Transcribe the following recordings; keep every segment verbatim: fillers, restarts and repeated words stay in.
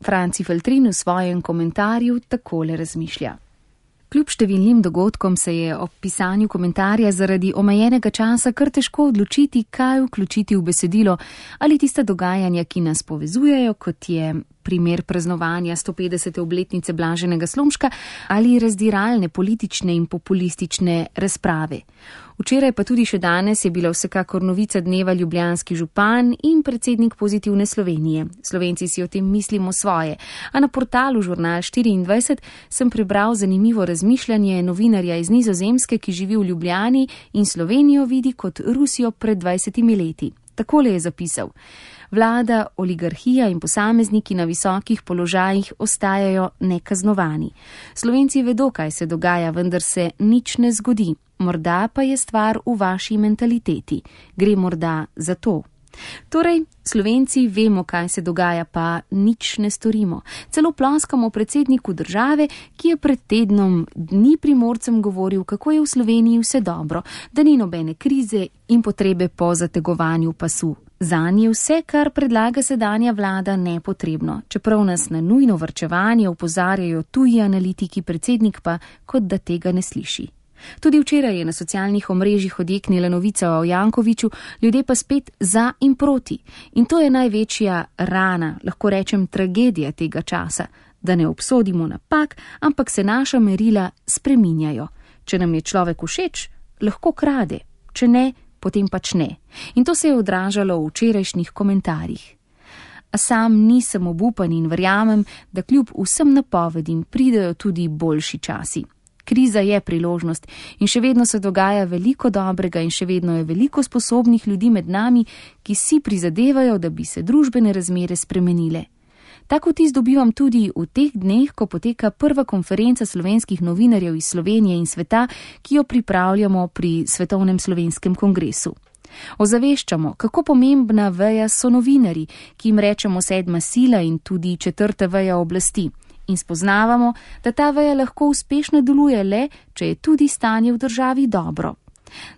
Franci Feltrin v svojem komentarju takole razmišlja. Kljub številnim dogodkom se je ob pisanju komentarja zaradi omejenega časa kar težko odločiti, kaj vključiti v besedilo ali tista dogajanja, ki nas povezujejo, kot je primer praznovanja sto petdesete obletnice Blaženega Slomška ali razdiralne politične in populistične razprave. Včeraj pa tudi še danes je bila vsekakor novica dneva ljubljanski župan in predsednik Pozitivne Slovenije. Slovenci si o tem mislimo svoje, a na portalu Žurnal štiriindvajset sem prebral zanimivo razmišljanje novinarja iz Nizozemske, ki živi v Ljubljani in Slovenijo vidi kot Rusijo pred dvajsetimi leti. Takole je zapisal: Vlada, oligarhija in posamezniki na visokih položajih ostajajo nekaznovani. Slovenci vedo, kaj se dogaja, vendar se nič ne zgodi. Morda pa je stvar v vaši mentaliteti. Gre morda za to. Torej, Slovenci vemo, kaj se dogaja, pa nič ne storimo. Celo ploskamo predsedniku države, ki je pred tednom dni Primorcem govoril, kako je v Sloveniji vse dobro, da ni nobene krize in potrebe po zategovanju pasu. Zanje vse, kar predlaga sedanja vlada, nepotrebno, čeprav nas na nujno varčevanje opozarjajo tuji analitiki, predsednik pa kot da tega ne sliši. Tudi včeraj je na socialnih omrežjih odjeknila novica o Jankoviću, ljudje pa spet za in proti. In to je največja rana, lahko rečem tragedija tega časa, da ne obsodimo napak, ampak se naša merila spreminjajo. Če nam je človek všeč, lahko krade, če ne, potem pač ne. In to se je odražalo v včerajšnjih komentarjih. A sam nisem obupan in verjamem, da kljub vsem napovedim pridejo tudi boljši časi. Kriza je priložnost in še vedno se dogaja veliko dobrega in še vedno je veliko sposobnih ljudi med nami, ki si prizadevajo, da bi se družbene razmere spremenile. Tako vtis dobivam tudi v teh dneh, ko poteka prva konferenca slovenskih novinarjev iz Slovenije in sveta, ki jo pripravljamo pri Svetovnem slovenskem kongresu. Ozaveščamo, kako pomembna veja so novinarji, ki jim rečemo sedma sila in tudi četrta veja oblasti. In spoznavamo, da ta veja lahko uspešno deluje le, če je tudi stanje v državi dobro.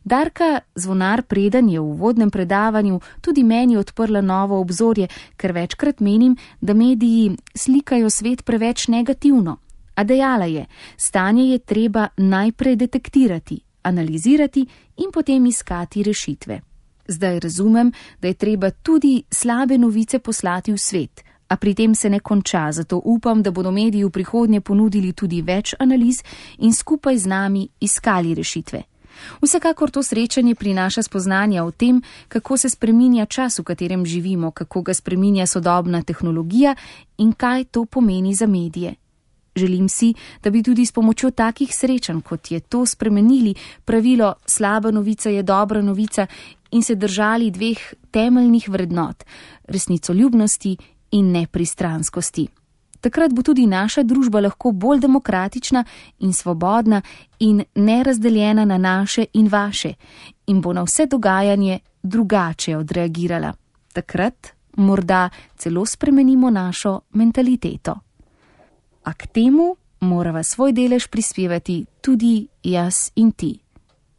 Darka Zvonar Preden je v uvodnem predavanju tudi meni odprla novo obzorje, ker večkrat menim, da mediji slikajo svet preveč negativno. A dejala je, stanje je treba najprej detektirati, analizirati in potem iskati rešitve. Zdaj razumem, da je treba tudi slabe novice poslati v svet, a pri tem se ne konča, zato upam, da bodo mediji v prihodnje ponudili tudi več analiz in skupaj z nami iskali rešitve. Vsekakor to srečanje prinaša spoznanja o tem, kako se spreminja čas, v katerem živimo, kako ga spreminja sodobna tehnologija in kaj to pomeni za medije. Želim si, da bi tudi s pomočjo takih srečanj, kot je to, spremenili pravilo slaba novica je dobra novica in se držali dveh temeljnih vrednot, resnicoljubnosti in nepristranskosti. Takrat bo tudi naša družba lahko bolj demokratična in svobodna in nerazdeljena na naše in vaše in bo na vse dogajanje drugače odreagirala. Takrat morda celo spremenimo našo mentaliteto. A k temu morava svoj delež prispevati tudi jaz in ti.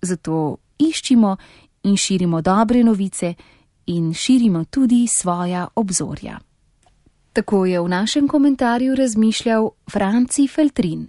Zato iščimo in širimo dobre novice in širimo tudi svoja obzorja. Tako je v našem komentarju razmišljal Franci Feltrin.